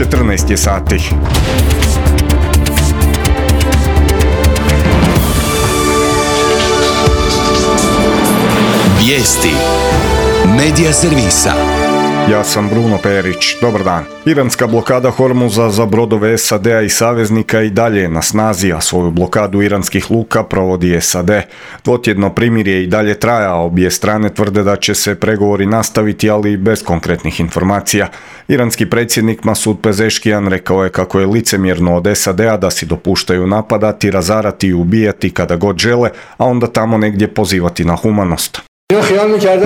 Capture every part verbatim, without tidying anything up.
četrnaest je sati. Vijesti Medija servisa. Ja sam Bruno Perić. Dobar dan. Iranska blokada Hormuza za brodove S A D-a i saveznika i dalje je na snazi, a svoju blokadu iranskih luka provodi S A D. Dvotjedno primirje i dalje traja, a obje strane tvrde da će se pregovori nastaviti, ali bez konkretnih informacija. Iranski predsjednik Masud Pezeškijan rekao je kako je licemjerno od S A D-a da si dopuštaju napadati, razarati i ubijati kada god žele, a onda tamo negdje pozivati na humanost.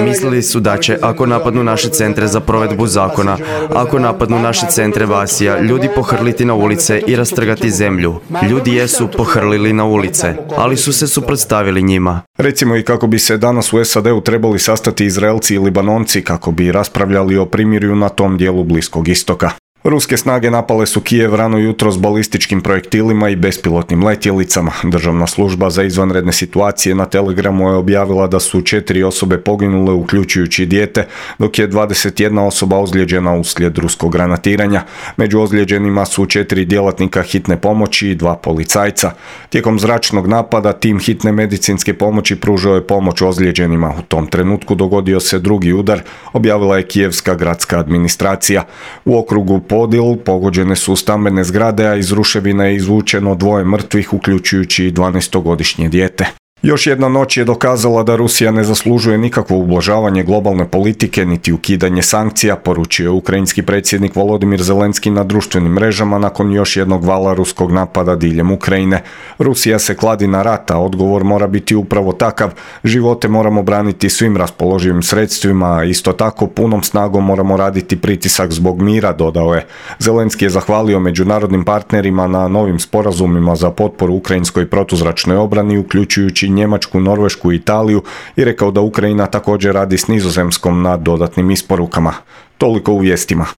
Mislili su da će, ako napadnu naše centre za provedbu zakona, ako napadnu naše centre Vasija, ljudi pohrliti na ulice i rastrgati zemlju. Ljudi jesu pohrlili na ulice, ali su se suprotstavili njima. Recimo i kako bi se danas u S A D-u trebali sastati Izraelci i Libanonci kako bi raspravljali o primirju na tom dijelu Bliskog istoka. Ruske snage napale su Kijev rano jutro s balističkim projektilima i bespilotnim letjelicama. Državna služba za izvanredne situacije na Telegramu je objavila da su četiri osobe poginule, uključujući dijete, dok je dvadeset jedna osoba ozlijeđena uslijed ruskog granatiranja. Među ozlijeđenima su četiri djelatnika hitne pomoći i dva policajca. Tijekom zračnog napada tim hitne medicinske pomoći pružao je pomoć ozlijeđenima. U tom trenutku dogodio se drugi udar, objavila je kijevska gradska administracija. U okrugu Podil pogođene su stambene zgrade, a iz ruševina je izvučeno dvoje mrtvih, uključujući i dvanaestogodišnje dijete. Još jedna noć je dokazala da Rusija ne zaslužuje nikakvo ublažavanje globalne politike niti ukidanje sankcija, poručio je ukrajinski predsjednik Volodimir Zelenski na društvenim mrežama nakon još jednog vala ruskog napada diljem Ukrajine. Rusija se kladi na rat, a odgovor mora biti upravo takav. Živote moramo braniti svim raspoloživim sredstvima, a isto tako punom snagom moramo raditi pritisak zbog mira, dodao je. Zelenski je zahvalio međunarodnim partnerima na novim sporazumima za potporu ukrajinskoj protuzračnoj obrani, uključujući Njemačku, Norvešku i Italiju, i rekao da Ukrajina također radi s Nizozemskom na dodatnim isporukama. Toliko u vijestima.